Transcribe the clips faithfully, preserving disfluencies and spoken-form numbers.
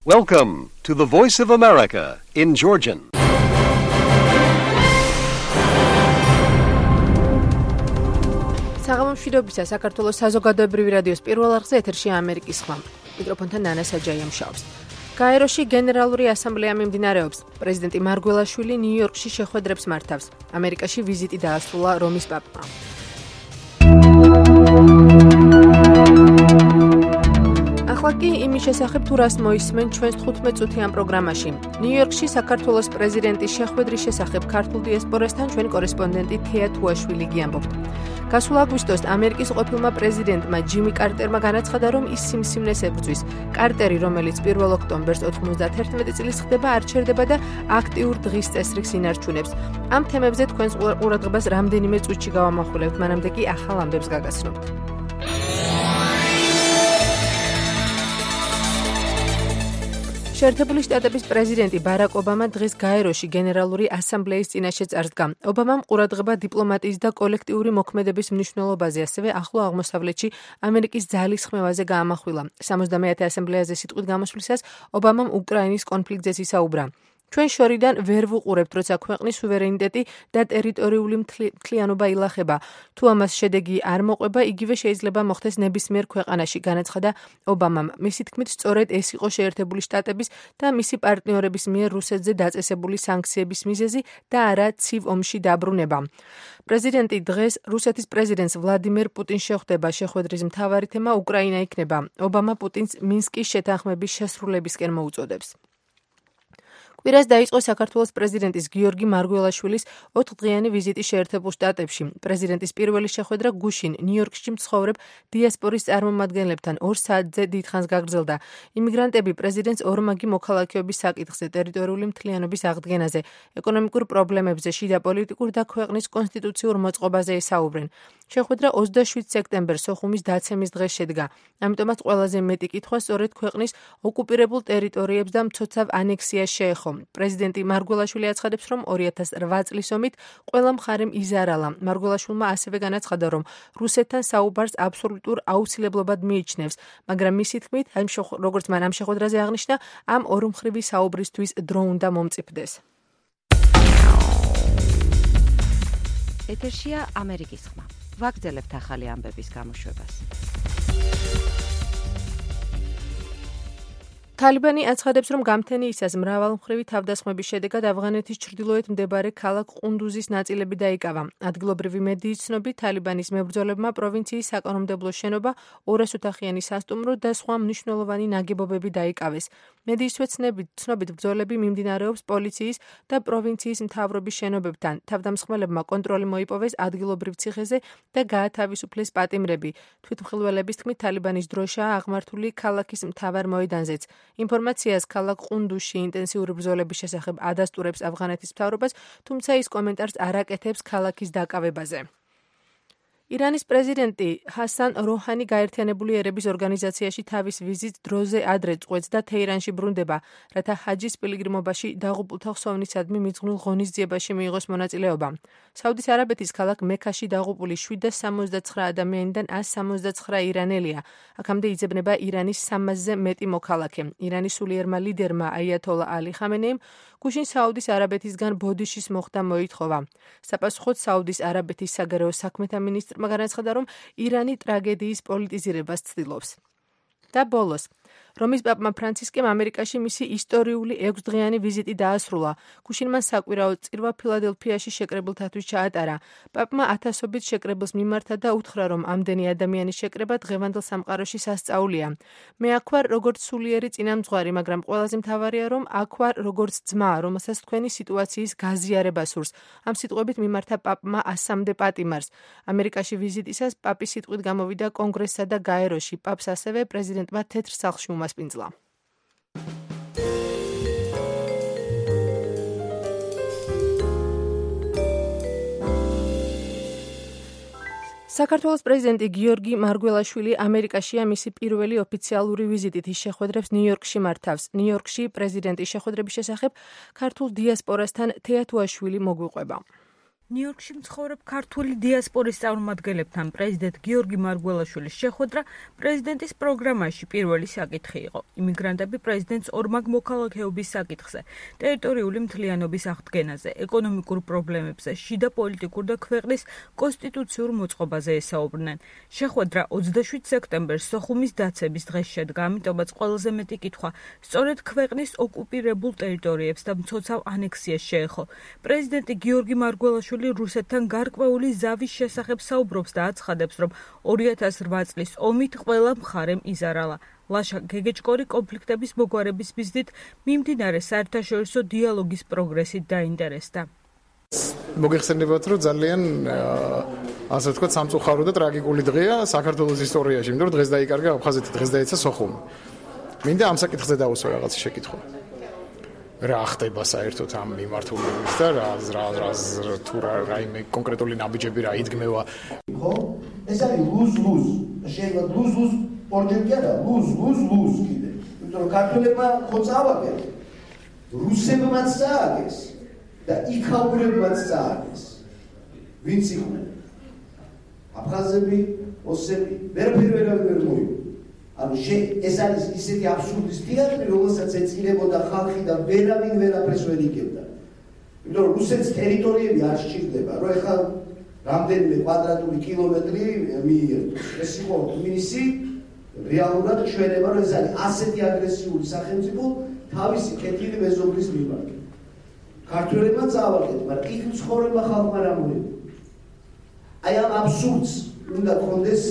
Welcome to the Voice of America in Georgian. საღამომშვიდობისა საქართველოს საზოგადოებრივი რადიოს პირველ არხზე ეთერშია ამერიკის ხმა. მიკროფონთან ნანა საჯაია მუშაობს. გაეროში გენერალური ასამბლეა მიმდინარეობს. პრეზიდენტი მარგველაშვილი ნიუ-იორკში შეხვედრებს მართავს. ამერიკაში ვიზიტი დაასრულა რომის პაპმა. ახლა კი იმის შესახებ თუ რას მოისმენ ჩვენს თხუთმეტ წუთიან პროგრამაში. ნიუ-იორკში საქართველოს პრეზიდენტის შეხვედრის შესახებ ქართულ დიასპორასთან ჩვენი კორესპონდენტი თეა თუაშვილი გიამბობთ. გასულ აგვისტოს ამერიკის ყოფილმა პრეზიდენტმა ჯიმი კარტერმა განაცხადა, რომ ის სიმსივნეს ებრძვის. კარტერი, რომელიც პირველ ოქტომბერს ოთხმოცდაათი წლის ხდება, არჩერდება და აქტიურ დღის წესრიგს ინარჩუნებს. ამ თემებზე თქვენს ყურადღებას რამდენიმე წუთში გავამახვილებთ, მანამდე კი ახალ ამბებს გაგაცნობთ. შეერთებული შტატების პრეზიდენტი ბარაკ ობამა დღეს გაეროში გენერალური ასამბლეის წინაშე წარსდგა. ობამამ ყურადღება დიპლომატიის და კოლექტიური მოქმედების მნიშვნელობაზე, ასევე ახლო აღმოსავლეთში ამერიკის ძალისხმევაზე გაამახვილა. სამოცდამეათე ასამბლეაზე სიტყვით გამოსვლისას ობამამ უკრაინის კონფლიქტზე ისაუბრა. ჩვენ შორიდან ვერ ვუყურებთ, როცა ქვეყნის სუვერენიტეტი და ტერიტორიული მთლიანობა ილახება. თუ ამას შედეგი არ მოყვება, იგივე შეიძლება მოხდეს ნებისმიერ ქვეყანაში, განაცხადა ობამამ. მისი თქმით, სწორედ ეს იყო შეერთებული შტატების და მისი პარტნიორების მიერ რუსეთზე დაწესებული სანქციების მიზეზი და არა ცივ ომში დაბრუნება. პრეზიდენტი დღეს რუსეთის პრეზიდენტს ვლადიმერ პუტინს შეხვდება. შეხვედრის მთავარი თემა უკრაინა იქნება. ობამა პუტინს მინსკის შეთანხმების შესრულებისკენ მოუწოდებს. კვირას დაიწყო საქართველოს პრეზიდენტის გიორგი მარგველაშვილის ოთხდღიანი ვიზიტი შეერთებულ შტატებში. პრეზიდენტის პირველი შეხვედრა გუშინ ნიუ-იორკში მცხოვრებ დიასპორის წარმომადგენლებთან ორ საათზე დიდხანს გაგრძელდა. იმიგრანტები პრეზიდენტს ორმაგი მოქალაქეობის საკითხზე, ტერიტორიული მთლიანობის აღდგენაზე, ეკონომიკურ პრობლემებზე, შიდა პოლიტიკურ და ქვეყნის კონსტიტუციურ მოწყობაზე ესაუბრენ. შეხვედრა ოცდაშვიდ სექტემბერს სოხუმის დაცემის დღეს შედგა. ამიტომაც ყველაზე მეტი კითხვა სწორედ ქვეყნის ოკუპირებულ ტერიტორიებს და მცოცავ ანექსიას შეეხო. პრეზიდენტი მარგველაშვილი აცხადებს, რომ ორი ათას რვა წლის ომით ყველა მხარემ იზარალა. მარგველაშვილმა ასევე განაცხადა, რომ რუსეთთან საუბარს აბსოლუტურ აუცილებლობად მიიჩნევს, მაგრამ მისი თქმით, როგორც მან ამ შეხვედრაზე აღნიშნა, ამ ორმხრივი საუბრისთვის დრო უნდა მომწიფდეს. ეთერშია ამერიკის ხმა. ვაგრძელებთ ახალი ამბების გამოშვებას. თალიბანი აცხადებს, რომ გამთენიისას მრავალმხრივი თავდასხმების შედეგად ავღანეთის ჩრდილოეთ მდებარე ქალაქ ყუნდუზის ნაწილები დაიკავა. ადგილობრივი მედიის ცნობით, თალიბანის მებრძოლებმა პროვინციის საკანონმდებლო შენობა, ორას ოთახიანი სასტუმრო და სხვა მნიშვნელოვანი ნაგებობები დაიკავეს. მედიის ცნობით, ბრძოლები მიმდინარეობს პოლიციის და პროვინციის მთავრობის შენობებთან. თავდამსხმელებმა კონტროლი მოიპოვეს ადგილობრივ ციხეზე და გაათავისუფლეს პატიმრები. თვითმხილველების თქმით, თალიბანის დროშაა აღმართული ქალაქის მთავარ მოედანზეც. ინფორმაციას ქალაქ ყუნდუზში ინტენსიური ბრძოლების შესახებ ადასტურებს ავღანეთის მთავრობას, თუმცა ის კომენტარს არ აკეთებს ქალაქის დაკავებაზე. ირანის პრეზიდენტი ჰასან როჰანი გაერთიანებული ერების ორგანიზაციაში თავის ვიზიტს დროზე ადრე წყვეტს და თეირანში ბრუნდება, რათა ჰაჯის პილიგრიმობაში დაღუპულთა ხსოვნისადმი მიძღვნილ ღონისძიებაში მიიღოს მონაწილეობა. საუდის არაბეთის ქალაქ მექაში დაღუპული შვიდას სამოცდაცხრა ადამიანიდან ასს სამოცდაცხრა ირანელია. აქამდე იძებნება ირანის სამასზე მეტი მოქალაქე. ირანის სულიერმა ლიდერმა აიათოლა ალი ხამენეიმ გუშინ საუდის არაბეთისგან ბოდიშის მოხდა მოითხოვა. საპასუხოდ საუდის არაბეთის საგარეო საქმეთა მინისტრმა განაცხადა, რომ ირანი ტრაგედიის პოლიტიზირებას ცდილობს. და ბოლოს, რომის პაპმა ფრანცისკემ ამერიკაში მისი ისტორიული ექვსდღიანი ვიზიტი დაასრულა. გუშინ მან საკვირაო წირვა ფილადელფიაში შეკრებილთათვის ჩაატარა. პაპმა ათასობით შეკრებილს მიმართა და უთხრა, რომ ამდენი ადამიანის შეკრება დღევანდელ სამყაროში სასწაულია. მე აქ ვარ როგორც სულიერი წინამძღვარი, მაგრამ ყველაზე მთავარია, რომ აქ ვარ როგორც ძმა, რომელსაც თქვენი სიტუაციის გაზიარება სურს. ამ სიტყვებით მიმართა პაპმა ასამდე პატიმარს. ამერიკაში ვიზიტისას პაპი სიტყვით გამოვიდა კონგრესსა და გაეროში. პაპს ასევე პრეზიდენტმა თეთრ სახლში უმასპინძლა. საქართველოს პრეზიდენტი გიორგი მარგველაშვილი ამერიკაშია მისი პირველი ოფიციალური ვიზიტით. ის შეხვედრებს ნიუ-იორკში მართავს. ნიუ-იორკში პრეზიდენტის შეხვედრების შესახებ ქართულ დიასპორასთან თეა თუაშვილი მოგვიყვება. ნიუ-იორკში მცხოვრებ ქართული დიასპორის წარმომადგენლებთან პრეზიდენტ გიორგი მარგველაშვილის შეხვედრა პრეზიდენტის პროგრამაში პირველი საკითხი იყო. იმიგრანტები პრეზიდენტს ორმაგ მოქალაქეობის საკითხზე, ტერიტორიული მთლიანობის აღდგენაზე, ეკონომიკურ პრობლემებზე, შიდა პოლიტიკურ და ქვეყნის კონსტიტუციურ მოწყობაზე ესაუბრნენ. შეხვედრა ოცდაშვიდ სექტემბერს სოხუმის დაცემის დღეს შედგა, ამიტომაც ყველაზე მეტი კითხვა სწორედ ქვეყნის ოკუპირებულ ტერიტორიებს და მცოცავ ანექსიას შეეხო. პრეზიდენტი გიორგი მარგველაშვილი რუსეთთან გარკვეული ზავის შესახებ საუბრობს და აცხადებს, რომ ორი ათას რვა წლის ომით ყველა მხარემ იზარალა. ლაშა გეგეჭკორი კონფლიქტების მოგვარების მიზნით მიმდინარე საერთაშორისო დიალოგის პროგრესით დაინტერესდა. მოგეხსენებათ, რომ ძალიან ასე ვთქვათ, სამწუხარო და ტრაგიკული დღეა საქართველოს ისტორიაში, იმიტომ რომ დღეს დაიკარგა აფხაზეთი, დღეს დაეცა სოხუმი. მინდა ამ საკითხზე დავუსვა რაღაც შეკითხვა. რა ხდება საერთოდ ამ მიმართულებით და რა რა რა თუ რაიმე კონკრეტული ნაბიჯები რა იდგმევა. ხო? ეს არის ლუზ-ლუზ. შეიძლება ლუზ-ლუზ ორჯერ კი არა, ლუზ-ლუზ-ლუზ კიდე. იმიტომ რომ ქართველებმა ხო წავაგეს. რუსებმაც წააგეს და იქაურებმაც წააგეს. ვინც იყვნენ? აფხაზები, ოსები, ვერაფერი ვერავინ ვერ მოიგო. ანუ ეს არის ისეთი აბსურდის თეატრი, რომელსაც ეწინებოდა ხალხი და ვერავინ ვერაფერს ვერ იგებდა. იმიტომ რომ რუსეთის ტერიტორიები არ სჭირდება, რომ ეხლა რამდენიმე კვადრატული კილომეტრი მიიღოს. ეს იყო თბილისი, რეალურად ჩვენება, რომ ეს არის ასეთი აგრესიული სახელმწიფო თავისი კეთილი მეზობლის მიმართ. ქართველებმა წავაგეთ, მაგრამ იქ მცხოვრებმა ხალხმა რა მოიგო. აი ამ აბსურდს უნდა კონდეს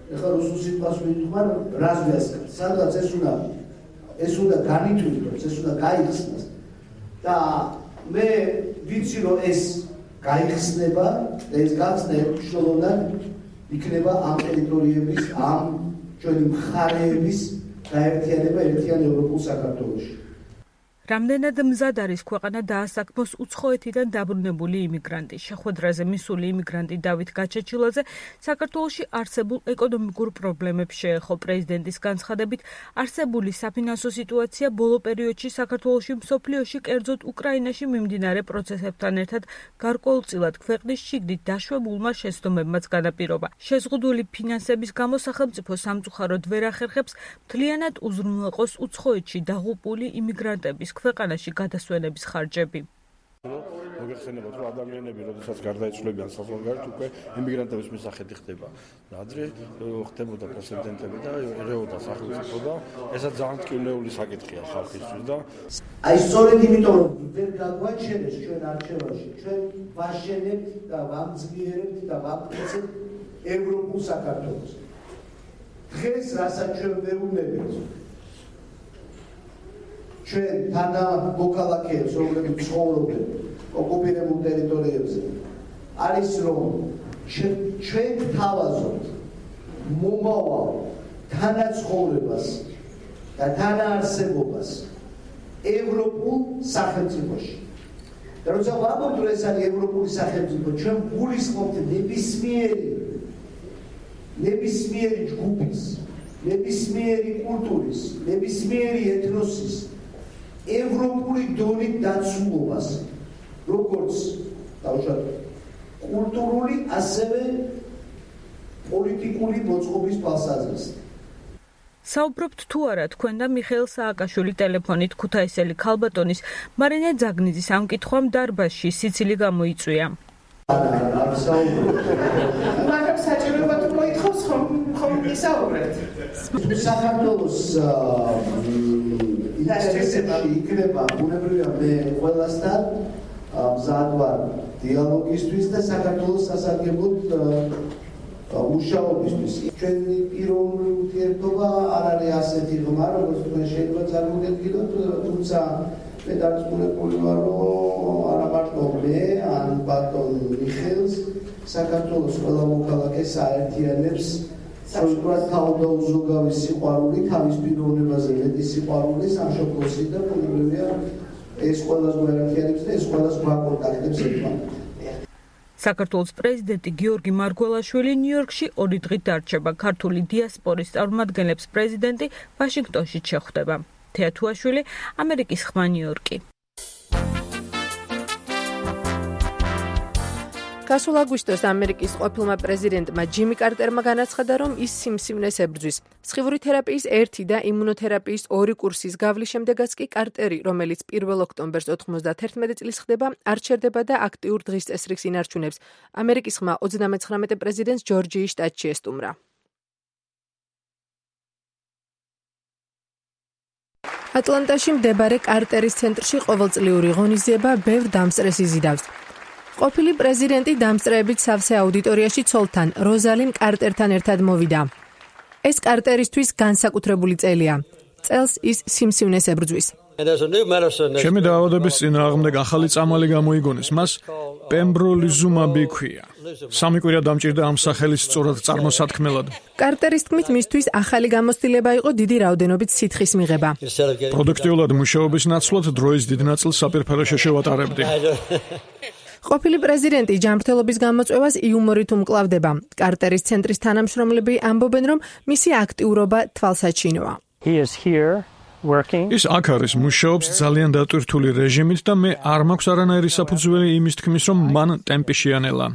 ეხლა რუსულ სიტყვას ვიტყვარ, რას ვიასწრებ. სადღაც ეს უნდა ეს უნდა განითვლოს, ეს უნდა გაიხსნას. და მე ვიცი რომ ეს გაიხსნება და ეს გახსნა მნიშვნელოვნად იქნება ამ ტერიტორიების, ამ ჩვენი მხარეების გაერთიანება ერთიან ევროპულ საქართველოში. რამდენად მზად არის ქვეყანა დაასაქმოს უცხოეთიდან დაბრუნებული იმიგრანტი. შეხვედრაზე მისული იმიგრანტი დავით გაჩეჩილაძე საქართველოში არსებულ ეკონომიკურ პრობლემებს შეეხო. პრეზიდენტის განცხადებით, არსებული საფინანსო სიტუაცია ბოლო პერიოდში საქართველოში, მსოფლიოში, კერძოდ უკრაინაში მიმდინარე პროცესებთან ერთად გარკვეულწილად ქვეყნის შიგნით დაშვებულმა შეცდომებმაც განაპირობა. შეზღუდული ფინანსების გამო სახელმწიფო სამწუხაროდ ვერ ახერხებს მთლიანად უზრუნველყოს უცხოეთში დაღუპული იმიგრანტების ქვეყანაში გადასვენების ხარჯები. მოგეხსენებათ, რომ ადამიანები, როდესაც გარდაიცვლებიან საზღვარგარეთ, უკვე იმიგრანტების მისაღები ხდება. ადრე ხდებოდა პრეცედენტები და ერეოდა სახელმწიფო და ესაც ძალიან ტკივნეული საკითხია ხალხისთვის და აი სწორედ იმიტომ რომ ვერ გაგვაჩენეს ჩვენ არჩევანში, ჩვენ ვაშენებთ და ვამძგიერებთ და ვაკეთებთ ევროპულ საქართველოს. დღეს რასაც ჩვენ ვეუბნებით ჩვენ თანა მოქალაქეებს, რომლებიც ცხოვრობენ ოკუპირებულ ტერიტორიებზე, არის რომ ჩვენ თავაზობთ მომავალ თანაცხოვრებას და თანაარსებობას ევროპულ სახელმწიფოში. და როცა ვამბობთ, რომ ეს არის ევროპული სახელმწიფო, ჩვენ გულისხმობთ ნებისმიერი ნებისმიერი ჯგუფის, ნებისმიერი კულტურის, ნებისმიერი ეთნოსის ევროპული დონით დაცულობას, როგორც დავუშვათ კულტურული, ასევე პოლიტიკური მოწყობის თვალსაზრისით. საუბრობთ თუ არა თქვენ და მიხეილ სააკაშვილი ტელეფონით ქუთაისელი ქალბატონის მარინე ძაგნიძის ამ კითხვამ დარბაზში სიცილი გამოიწვია. მაგრამ საჭიროება თუ მოითხოვს ხომ ხომ ისაუბრეთ. საქართველოს ინტერესებში იქნება ბუნებრივია მე ყველასთან მზად ვარ დიალოგისთვის და საქართველოს სასარგებლოდ მუშაობისთვის. ჩვენი პიროვნული ურთიერთობა არ არის ასეთი ღრმა, როგორც თქვენ შეიძლება წარმოგედგინოთ, თუმცა მე დარწმუნებული ვარ, რომ არა მარტო მე, ან ბატონ მიხეილს საქართველოს ყველა მოქალაქეს აერთიანებს სწორედ თავდაუზოგავი სიყვარული, თავის პიროვნებაზე მეტი სიყვარული, სამშობლოსი და ბუნებრივია ეს ყველას გვაერთიანებს და ეს ყველას გვაკონტაქტებს ერთმანეთთან. საქართველოს პრეზიდენტი გიორგი მარგველაშვილი ნიუ-იორკში ორი დღით დარჩება. ქართული დიასპორის წარმომადგენლებს პრეზიდენტი ვაშინგტონში შეხვდება. თეა თუაშვილი, ამერიკის ხმა, ნიუ-იორკი. გასულ აგვისტოს ამერიკის ყოფილმა პრეზიდენტმა ჯიმი კარტერმა განაცხადა, რომ ის სიმსივნეს ებრძვის. სხივური თერაპიის ერთი და იმუნოთერაპიის ორი კურსის გავლის შემდეგაც კი კარტერი, რომელიც პირველ ოქტომბერს ოთხმოცდაათერთმეტი წლის ხდება, არ ჩერდება და აქტიურ დღის წესრიგს ინარჩუნებს. ამერიკის ხმა ოცდამეცხრამეტე პრეზიდენტს ჯორჯიის შტატში ესტუმრა. ატლანტაში მდებარე კარტერის ცენტრში ყოველწლიური ღონისძიება ბევრ დამსწრეს იზიდავს. ყოფილი პრეზიდენტი დამსწრეებით სავსე აუდიტორიაში ცოლთან, როზალინ კარტერთან ერთად მოვიდა. ეს კარტერისთვის განსაკუთრებული წელია. წელს ის სიმსივნეს ებრძვის. ჩემი დაავადების წინააღმდეგ ახალი წამალი გამოიგონეს, მას პემბროლიზუმაბი ჰქვია. სამი კვირა დამჭირდა ამ სახელის სწორად წარმოსათქმელად. კარტერის თქმით, მისთვის ახალი გამოცდილება იყო დიდი რაოდენობით სითხის მიღება. პროდუქტიულად მუშაობის ნაცვლად დროის დიდ ნაწილს საპირფარეში შევატარებდი. ყოფილი პრეზიდენტი ჯანმრთელობის გამოწვევას იუმორით უმკლავდება. კარტერის ცენტრის თანამშრომლები ამბობენ, რომ მისი აქტიურობა თვალსაჩინოა. ის აქ არის, მუშაობს ძალიან დატვირთული რეჟიმით და მე არ მაქვს არანაირი საფუძველი იმის თქმის, რომ მან ტემპი შეანელა.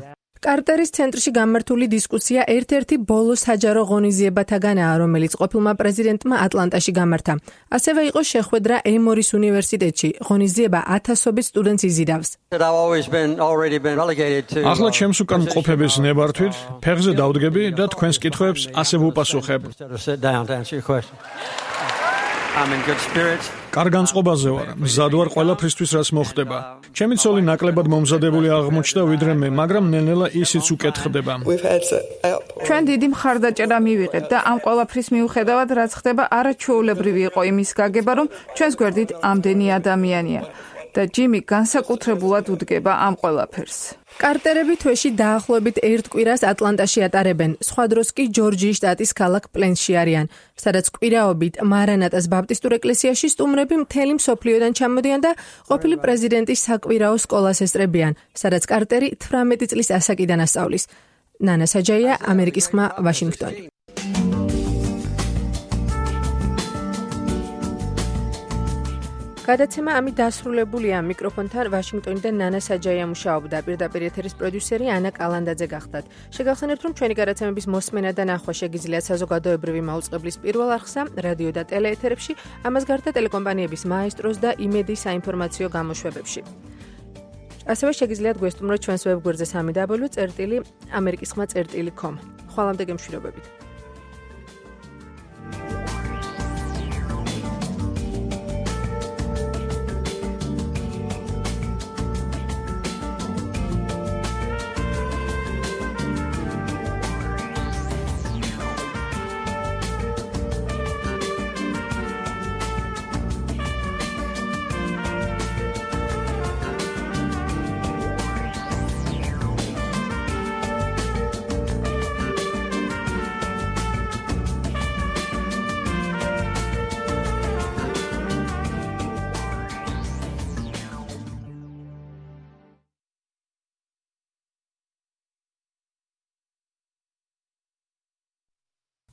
კარტერის ცენტრში გამართული დისკუსია ერთ-ერთი ბოლო საჯარო ღონისძიებათაგანაა, რომელიც ყოფილმა პრეზიდენტმა ატლანტაში გამართა. ასევე იყო შეხვედრა ემორის უნივერსიტეტში. ღონისძიება ათასობით სტუდენტს იზიდავს. ახლა ჩემს უკან მყოფების ნებართვით, ფეხზე დავდგები და თქვენს კითხვებს ასე ვუპასუხებ. კარგანწყობაზე ვარ, მზად ვარ ყველაფრისთვის, რაც მოხდება. ჩემი ცოლი ნაკლებად მომზადებული აღმოჩნდა ვიდრე მე, მაგრამ ნელ-ნელა ისიც უკეთხდება. ჩვენ დიდი მხარდაჭერა მივიღეთ და ამ ყველაფრის მიუხედავად, რაც ხდება, არაჩვეულებრივი იყო იმის გაგება, რომ ჩვენს გვერდით ამდენი ადამიანია და ჯიმი განსაკუთრებულად უდგება ამ ყველაფერს. კარტერები თვეში დაახლოებით ერთ კვირას ატლანტაში ატარებენ. სხვა დროს კი ჯორჯიის შტატის ქალაქ პლენსში არიან, სადაც კვირაობით მარანატას ბაპტისტურ ეკლესიაში სტუმრები მთელი მსოფლიოდან ჩამოდიან და ყოფილი პრეზიდენტის საკვირაო სკოლას ესწრებიან, სადაც კარტერი თვრამეტი წლის ასაკიდან ასწავლის. ნანა საჯაია, ამერიკის ხმა, ვაშინგტონი. გადაცემა ამით დასრულებულია. მიკროფონთან ვაშინგტონიდან ნანა საჯაია მუშაობდა. პირდაპირ ეთერის პროდიუსერი ანა კალანდაძე გახდათ. შეგახსენებთ, რომ ჩვენი გადაცემების მოსმენა და ნახვა შეგიძლიათ საზოგადოებრივი მაუწყებლის პირველ არხსა, რადიო და ტელეეთერებში, ამას გარდა ტელეკომპანიების მაესტროს და იმედის საინფორმაციო გამოშვებებში. ასევე შეგიძლიათ გვესტუმროთ ჩვენს ვებგვერდზე სამი დაბლიუ წერტილი ამერიკის ხმა წერტილი კომ. ხვალამდე გემშვიდობებით.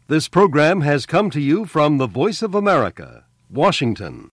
This program has come to you from the Voice of America, Washington.